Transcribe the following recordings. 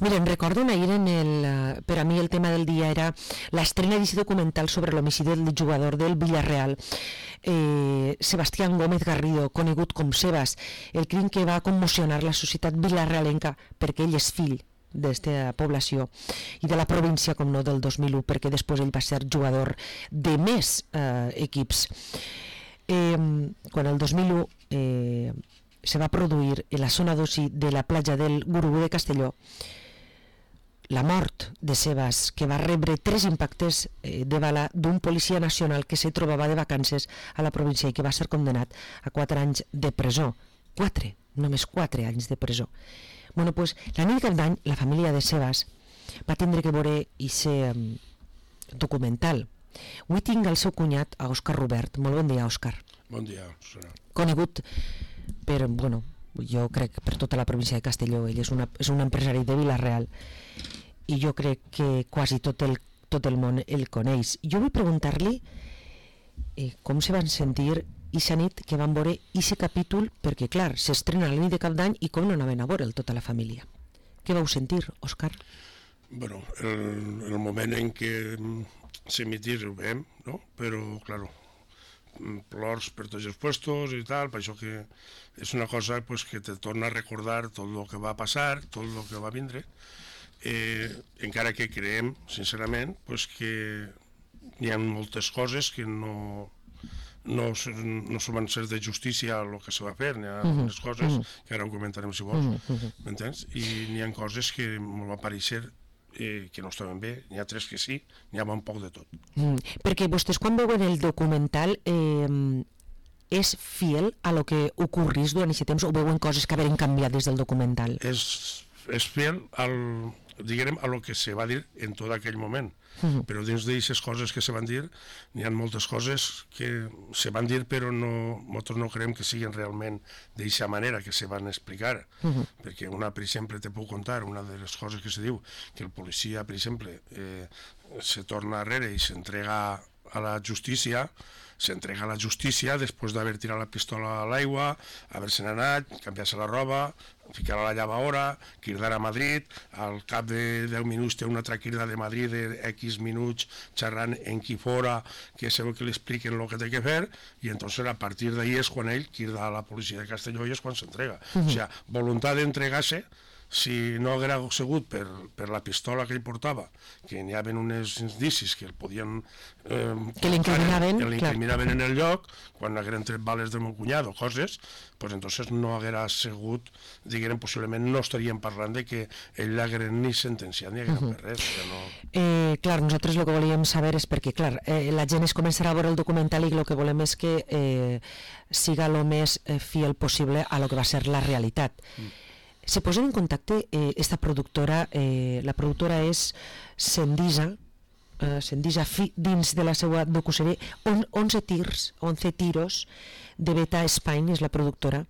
Miren, recorden ahir per a mi el tema del dia era l'estrena d'aquest documental sobre l'homicidi del jugador del Villarreal, Sebastián Gómez Garrido, conegut com Sebas, el crim que va commocionar la societat villarrealenca perquè ell és fill d'esta població i de la província, com no, del 2001, perquè després ell va ser jugador de més equips. Quan el 2001 se va produir en la zona d'oci de la platja del Gurugú de Castelló la mort de Sebas, que va rebre 3 impactes de bala d'un policia nacional que se trobava de vacances a la província i que va ser condenat a 4 anys de presó. 4, només 4 anys de presó. Bueno, pues, la nit de Cap d'Any, la família de Sebas va tindre que veure aquest documental. Avui tinc el seu cunyat, a Òscar Robert. Molt bon dia, Òscar. Bon dia, Susana. Conegut per, bueno, jo crec per tota la província de Castelló. Ell és un empresari de Vila-real i jo crec que quasi tot el món el coneix. Jo vull preguntar-li com se van sentir aquesta nit que van veure aquest capítol, perquè clar, s'estrena la nit de Cap d'Any i com no anaven a veure'l tota la família. Què vau sentir, Òscar? Bueno, el moment en què s'emitís ho veiem, no? Però, claro, plors per tots els puestos i tal, per això que és una cosa pues, que te torna a recordar tot el que va passar, tot el que va vindre, encara que creiem, sincerament, pues, que hi ha moltes coses que no van ser de justícia el que se va fer, n'hi ha unes coses que ara ho comentarem si vols, m'entens? I n'hi ha coses que m'ho va pareixer que no estaven bé, n'hi ha 3 que sí, n'hi ha un poc de tot. Perquè vostès quan veuen el documental és fiel a lo que ocorrís durant aquest temps o veuen coses que haveren canviat des del documental? És fiel diguem, a lo que se va dir en tot aquell moment, però dins d'aquestes coses que se van dir n'hi ha moltes coses que se van dir però nosaltres no creiem que siguin realment d'aquesta manera que se van explicar, perquè una, per exemple, te puc contar una de les coses que se diu, que el policia, per exemple, se torna arrere i s'entrega a la justícia, s'entrega a la justícia després d'haver tirat la pistola a l'aigua, haver-se'n anat, canviar-se la roba, ficar-la a la llavadora, cridar a Madrid, al cap de 10 minuts té una altra crida de Madrid de X minuts xerrant en qui fora, que segur que li expliquen el que té que fer, i entonces a partir d'ahí és quan ell crida a la policia de Castelló i és quan s'entrega. O sigui, voluntat d'entregar-se. Si no haguera sigut per la pistola que ell portava, que n'hi havia uns indicis que el podien... que l'incriminaven en el lloc, quan hagueren tret bales del meu cunyat o coses, pues entonces no haguera sigut, diguem, possiblement no estaríem parlant de que ell l'hagueren ni sentenciat ni hagueren per res. Clar, nosaltres el que volíem saber és perquè, clar, la gent es començarà a veure el documental i el que volem és que siga el més fiel possible a lo que va ser la realitat. Se posen en contacte esta productora, la productora és Sendisa dins de la seva docuserie 11 tiros de Beta Spain és la productora.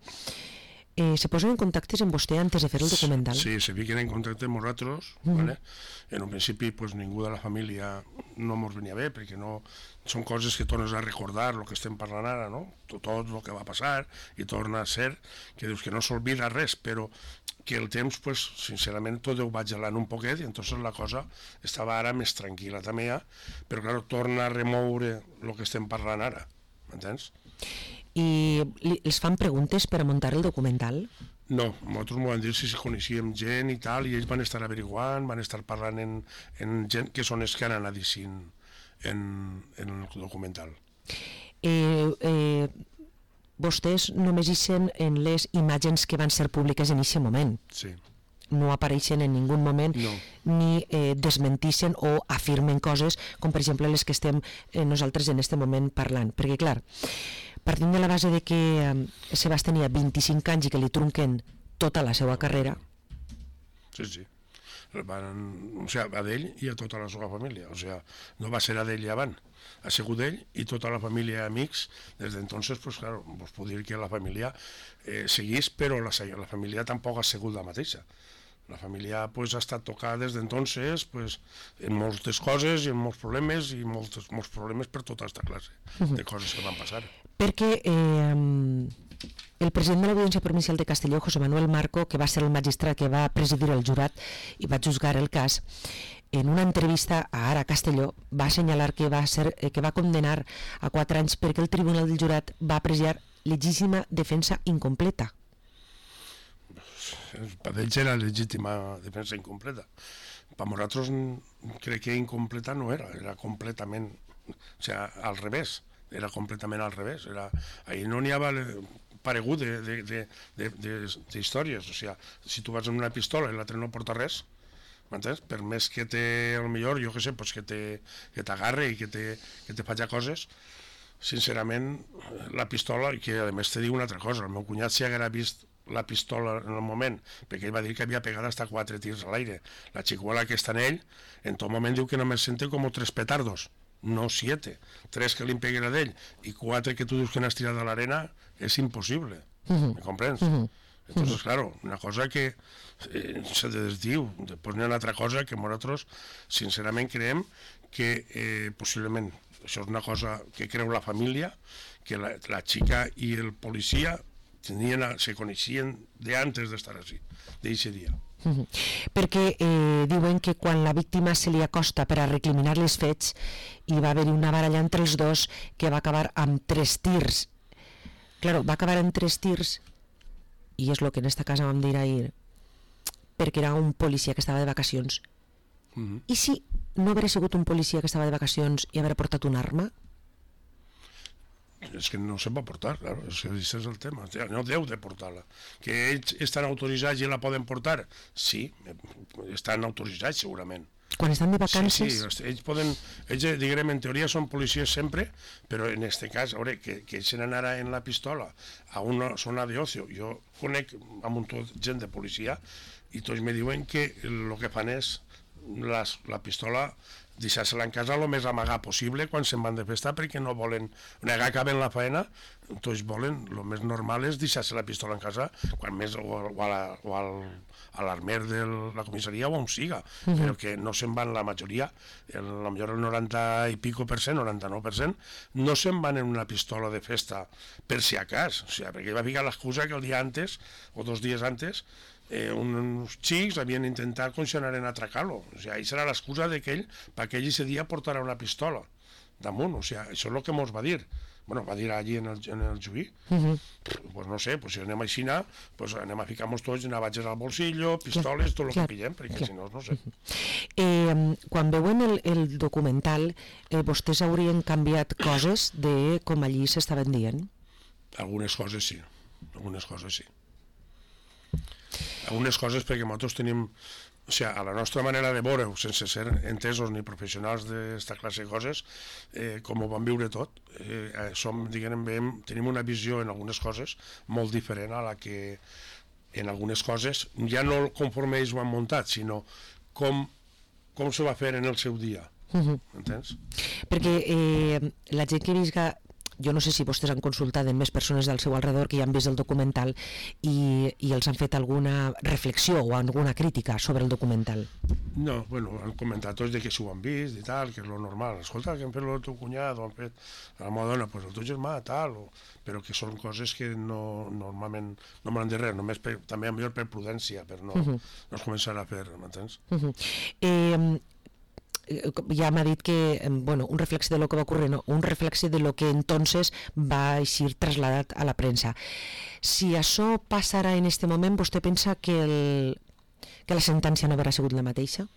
Se posen en contacte amb vostè antes de fer el documental? Sí, se fiquen en contacte amb nosaltres, ¿vale? En un principi pues, ningú de la família no ens venia bé, perquè no són coses que tornes a recordar el que estem parlant ara, no? Tot el que va passar i torna a ser que dius que no s'olvida res, però que el temps, pues, sincerament, tot ho va gelant un poquet i entonces la cosa estava ara més tranquil·la també ja, però clar, torna a remoure el que estem parlant ara, m'entens? I els fan preguntes per a muntar el documental? No, nosaltres m'ho van dir si coneixíem gent i tal, i ells van estar averiguant, van estar parlant en gent que són els que han anat dient en el documental. Vostès només ixen en les imatges que van ser públiques en aquest moment. Sí. No apareixen en ningun moment ni desmentixen o afirmen coses com per exemple les que estem nosaltres en aquest moment parlant, perquè clar, partint de la base de que Sebas tenia 25 anys i que li trunquen tota la seva carrera. Sí. O sigui, a d'ell i a tota la seva família, o sigui, no va ser a d'ell i avant, ha sigut ell i tota la família i amics. Des d'entonces, pues claro, vos puc dir que la família seguís, però la família tampoc ha sigut la mateixa. La família pues, ha estat tocada des d'entonces pues, en moltes coses i en molts problemes i molts problemes per tota aquesta classe de coses que van passar. Perquè El president de l'Audiència Provincial de Castelló, José Manuel Marco, que va ser el magistrat que va presidir el jurat i va juzgar el cas, en una entrevista a Ara Castelló va assenyalar que va condenar a 4 anys perquè el tribunal del jurat va apreciar legítima defensa incompleta. Per ells era legítima defensa incompleta. Per nosaltres crec que incompleta no era completament, o sigui, al revés, era completament al revés. Ahir no n'hi havia paregut d'històries, o sigui, si tu vas amb una pistola i l'altre no porta res, m'entens? Per més que millor, jo què sé, pues que t'agarre i que te faci coses, sincerament, la pistola, i que a més te diu una altra cosa, el meu cunyat si haguera vist la pistola en el moment, perquè ell va dir que havia pegat hasta 4 tirs a l'aire. La xicuela que està en ell, en tot moment diu que només sente com 3 petardos, no 7. 3 que li peguen a d'ell i 4 que tu dius que n'has tirat a l'arena, és impossible. ¿Me comprens? Entonces, claro, una cosa que se desdiu. Després n'hi ha una altra cosa que nosaltres, sincerament, creiem que possiblement això és una cosa que creu la família, que la xica i el policia se coneixien de antes d'estar així, d'aquest dia. Perquè diuen que quan la víctima se li acosta per a recriminar les fets hi va haver una baralla entre els dos que va acabar amb 3 tirs. Claro, va acabar amb 3 tirs i és el que en esta casa vam dir ahir, perquè era un policia que estava de vacacions. I si no hagués sigut un policia que estava de vacacions i haver portat una arma? És que no se'n va portar, claro, és el tema, no deu de portar-la. Que ells estan autoritzats i la poden portar? Sí, estan autoritzats segurament. Quan estan de vacances? Sí, ells diguem, en teoria són policies sempre, però en aquest cas, a veure, que ells anara en la pistola a una zona d'ocio. Jo conec amb un tot gent de policia i tots me diuen que el que fan és la pistola deixar-se-la en casa el més amagat possible quan se'n van de festa, perquè no volen, negar que acaben la feina, tots volen, el més normal és deixar-se la pistola en casa, quan més, o a l'armer de la comissaria o on siga, però que no se'n van la majoria, potser el 90 i pico per cent, 99%, no se'n van en una pistola de festa per si a cas, o sigui, perquè va ficar l'excusa que el dia antes, o 2 dies antes, uns xics havien intentat conxenar en atracar-lo. O sigui, això era l'excusa d'aquell perquè ell ese dia portarà una pistola damunt. O sigui, això és el que mos va dir. Bueno, va dir allí en el juí. Pues no sé, pues si anem a Xina, pues anem a ficar-nos tots navages al bolsillo, pistoles, tot el que pillem, perquè si no, no sé. Quan veuen el documental, vostès haurien canviat coses de com allí s'estaven dient? Algunes coses sí. Algunes coses perquè nosaltres tenim, o sigui, a la nostra manera de veure-ho, sense ser entesos ni professionals d'esta classe de coses, com ho vam viure tot, tenim una visió en algunes coses molt diferent a la que en algunes coses, ja no conforme ells ho han muntat, sinó com se va fer en el seu dia. Entens? Perquè la gent que visca, jo no sé si vostès han consultat amb més persones del seu alrededor que ja han vist el documental i els han fet alguna reflexió o alguna crítica sobre el documental. No, bueno, han comentat tots de que s'ho han vist i tal, que és lo normal. Escolta, que han fet el teu cunyat o han fet a la meva dona, pues el teu germà, tal, però que són coses que normalment no me n'han de res, només també millor per prudència, per no es començar a fer, m'entens? Ja m'ha dit que, bueno, un reflex de lo que va ocurrir, no, un reflex de lo que entonces va ser trasladat a la premsa. Si això passarà en este moment, vostè pensa que la sentència no haurà sigut la mateixa?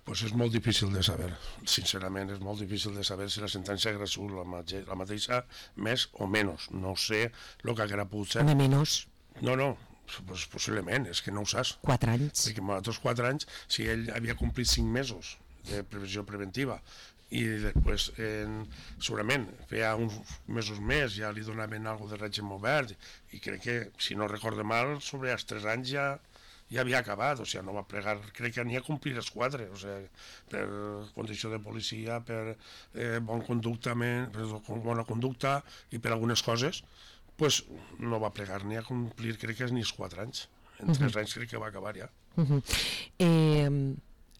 Pues és molt difícil de saber, sincerament, és molt difícil de saber si la sentència haurà sigut la mateixa, més o menys. No sé el que haurà pogut ser. Home, menys? No, pues possiblement, és que no ho saps. 4 anys. Perquè nosaltres 4 anys, si ell havia complit 5 mesos de previsió preventiva i després, segurament, feia uns mesos més, ja li donaven alguna de règim obert i crec que, si no recordo mal, sobre els 3 anys ja havia acabat, o sigui, no va plegar, crec que n'hi ha complir els 4, o sigui, per condició de policia, per bona conducta i per algunes coses, pues no va plegar ni a complir, crec que és ni els 4 anys. En 3 anys crec que va acabar ja.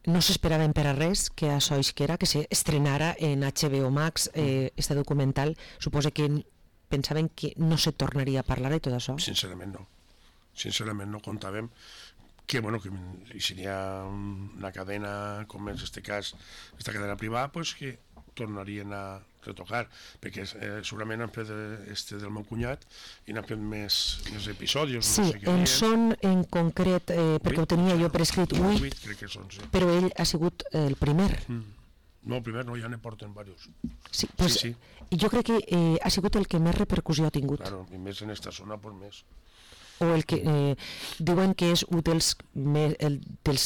No s'esperaven per a res que això isquera, que s'estrenara en HBO Max este documental. Suposa que pensaven que no se tornaria a parlar de tot això? Sincerament no. Sincerament no comptàvem que, bueno, que si hi ha una cadena, com és este cas, esta cadena privada, pues que tornarien a retocar, perquè segurament han fet este del meu cunyat i n'han fet més episodis. Sí, no sé què en dies. són en concret, perquè ho tenia jo per escrit, 8, crec que són, sí. però ell ha sigut el primer. No, el primer no, ja ne porten diversos. Sí, pues, Sí. jo crec que ha sigut el que més repercussió ha tingut. Claro, i més en esta zona, pues més. O el que diuen que és un dels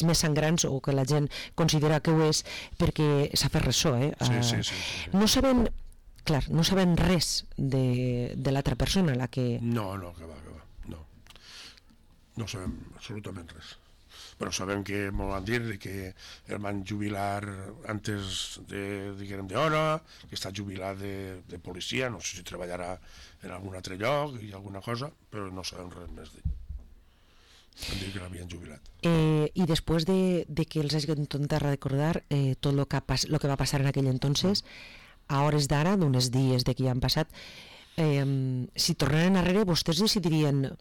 més sangrants, o que la gent considera que ho és, perquè s'ha fet ressò. Sí. No saben, clar, no saben res de l'altra persona, la que... No, que va, no. No sabem absolutament res. Però sabem que m'ho van dir que el van jubilar antes d'hora, que està jubilat de policia, no sé si treballarà en algun altre lloc i alguna cosa, però no sabem res més d'ell. Van dir que l'havien jubilat. I després de que els hagi intentat recordar tot el que va passar en aquell entonces, a hores d'ara, d'uns dies de que ja han passat, si tornaren enrere, vostès decidirien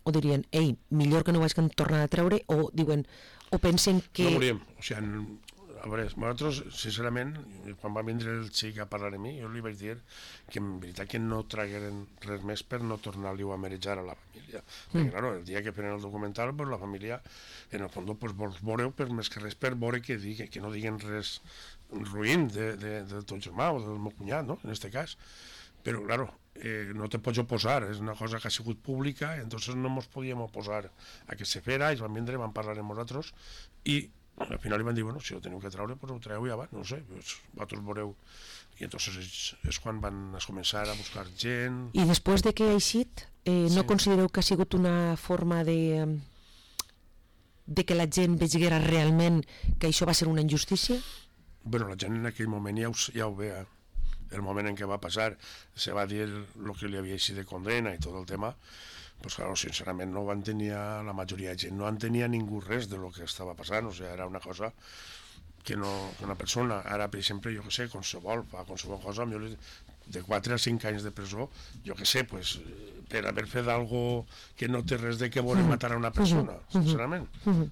o dirien, ei, millor que no ho hagin tornat a treure, o diuen, o pensen que... No volíem, o sigui, a veure, nosaltres, sincerament, quan va vindre el xic a parlar amb mi, jo li vaig dir que en veritat que no tragueren res més per no tornar-li-ho a marejar a la família. Perquè, clar, el dia que prenen el documental, pues, la família, en el fons, pues, vols veure-ho per més que res per veure que no diguen res ruïn de ton germà o del meu cunyat, no?, en este cas. Però, claro, no te pots oposar, és una cosa que ha sigut pública, entonces no ens podíem oposar a que se fera, ells van vindre, van parlar amb nosaltres, i al final li van dir, bueno, si ho teniu que treure, pues ho treu ja va, no ho sé, pues, vosaltres veureu. I entonces és quan van començar a buscar gent... I després de que ha eixit, no considereu que ha sigut una forma de que la gent veiguera realment que això va ser una injustícia? Bueno, la gent en aquell moment ja ho veia. El moment en què va passar, se va dir el que li havia eixit de condena i tot el tema, pues claro, sincerament no van tenir, la majoria de gent no entenia ningú res de lo que estava passant, o sigui, era una cosa que una persona, ara per exemple, jo que sé, qualsevol cosa, de 4 a 5 anys de presó, jo que sé, pues, per haver fet algo que no té res de que voler matar a una persona, sincerament,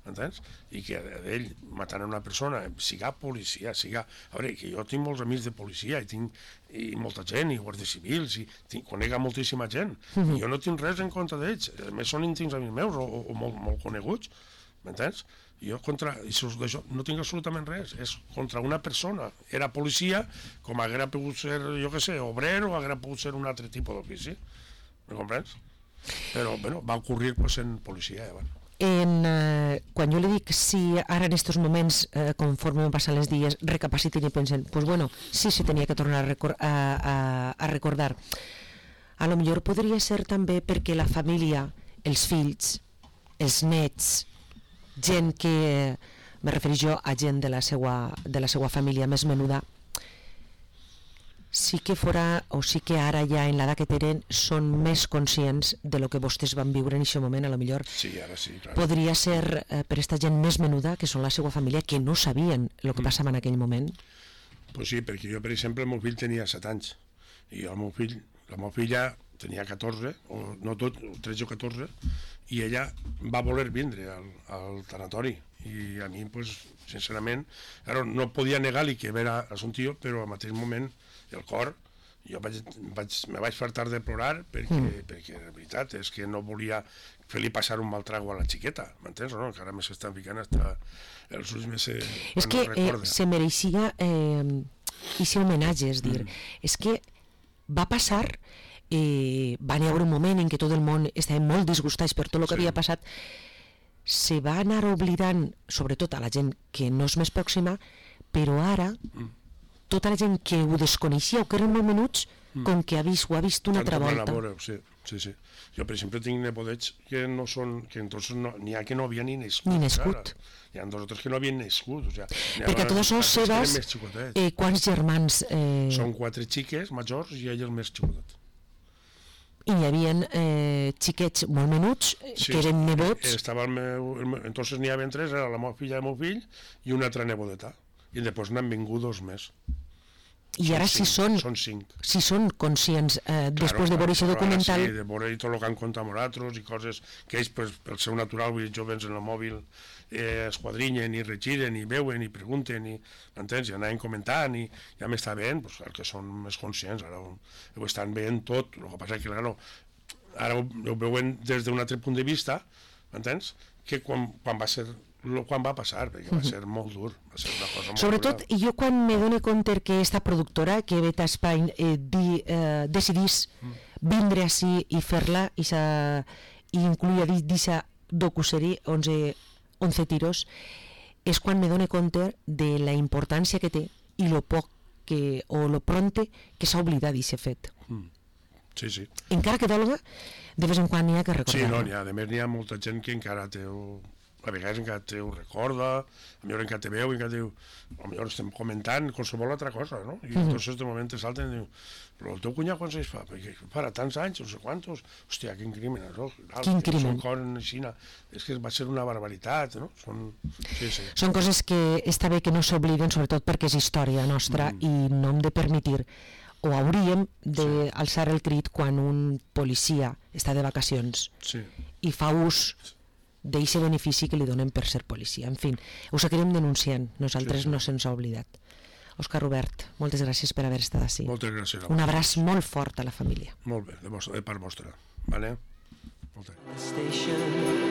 entens? I que d'ell matar a una persona, siga policia, siga... A veure, que jo tinc molts amics de policia i molta gent, i guàrdies civils, i conec a moltíssima gent, i jo no tinc res en contra d'ells, a més són íntims amics meus o molt coneguts, m'entens? Jo contra això no tinc absolutament res, és contra una persona. Era policia, com haguera pogut ser, jo què sé, obrer o haguera pogut ser un altre tipus d'ofici, me comprens? Però, bueno, va ocorrir pues, en policia. Quan jo li dic si ara en aquests moments, conforme van passant els dies, recapaciten i pensen, pues bueno, sí se tenia que tornar a recordar. A lo millor podria ser també perquè la família, els fills, els nets, gent que, me refereix jo a gent de la seva família més menuda, sí que fora, o sí que ara ja en l'edat que tenen són més conscients de lo que vostès van viure en aquest moment, a lo millor sí, ara sí, clar. Podria ser per aquesta gent més menuda, que són la seva família, que no sabien el que passava en aquell moment. Pues sí, perquè jo, per exemple, el meu fill tenia 7 anys, i la meva filla tenia 14, o no tot, 13 o 14, i ella va voler vindre al tanatori, i a mi, pues, sincerament, no podia negar-li que era un tio, però al mateix moment el cor, jo me vaig fartar de plorar perquè la veritat és que no volia fer-li passar un mal trago a la xiqueta, m'entens o no? Que ara me s'estan ficant hasta els ulls més... És que se mereixia aquest homenatge, és dir, és que va passar... va haver un moment en què tot el món estava molt disgustats per tot el que havia passat, se va anar oblidant, sobretot a la gent que no és més pròxima, però ara tota la gent que ho desconeixia o que eren molt menuts, com que ho ha vist una altra volta. Sí. Jo, per exemple, tinc nepodets que no són, que entonces n'hi ha que no havien ni nascut. Hi ha dos o tres que no havien nascut. Perquè a totes les seves, quants germans... Són 4 xiques majors i ell el més xicotet. I hi havia xiquets molt menuts, que eren nebots. Entonces n'hi havia 3, era la meva filla i el meu fill i una altra nebodeta. I després n'han vingut 2 més. I ara si són conscients després de veure aquest documental... Sí, de veure tot el que han contat amb nosaltres i coses que ells, pel seu natural, vull dir, jovens en el mòbil, esquadrinyen i regiren i veuen i pregunten i, m'entens? I anaven comentant i ja m'està veient, doncs, el que són més conscients, ara ho estan veient tot, el que passa que, clar, ara ho veuen des d'un altre punt de vista, m'entens? Que quan va passar, perquè va ser molt dur, va ser una cosa molt Sobretot, dura. jo quan me dono compte que aquesta productora, que Beta Spain, decidís vindre així i fer-la, i incluir d'aquesta docuserie 11 tiros, és quan me dono compte de la importància que té i lo poc o lo pronte que s'ha oblidat d'aquest fet. Sí. Encara que dolga, de vez en quan n'hi ha que recordar-ho. Sí, a més n'hi ha molta gent que encara a vegades encara te ho recorda, a millor encara te veu, encara diu, a millor estem comentant qualsevol altra cosa, no? I entonces de moment te salten i diu, però el teu cunyat quants anys fa? Perquè farà tants anys, no sé quantos, hòstia, quin crimen, no? Quin crimen? Són coses així, és que va ser una barbaritat, no? Són coses que està bé que no s'obliden, sobretot perquè és història nostra i no hem de permetir, o hauríem d'alçar el crit quan un policia està de vacacions i fa ús d'aquest benefici que li donen per ser policia. En fi, ho seguirem denunciant, nosaltres no se'ns ha oblidat. Òscar Robert, moltes gràcies per haver estat ací. Moltes gràcies. Un abraç molt fort a la família. Molt bé, de part vostra. Vale? Moltes gràcies.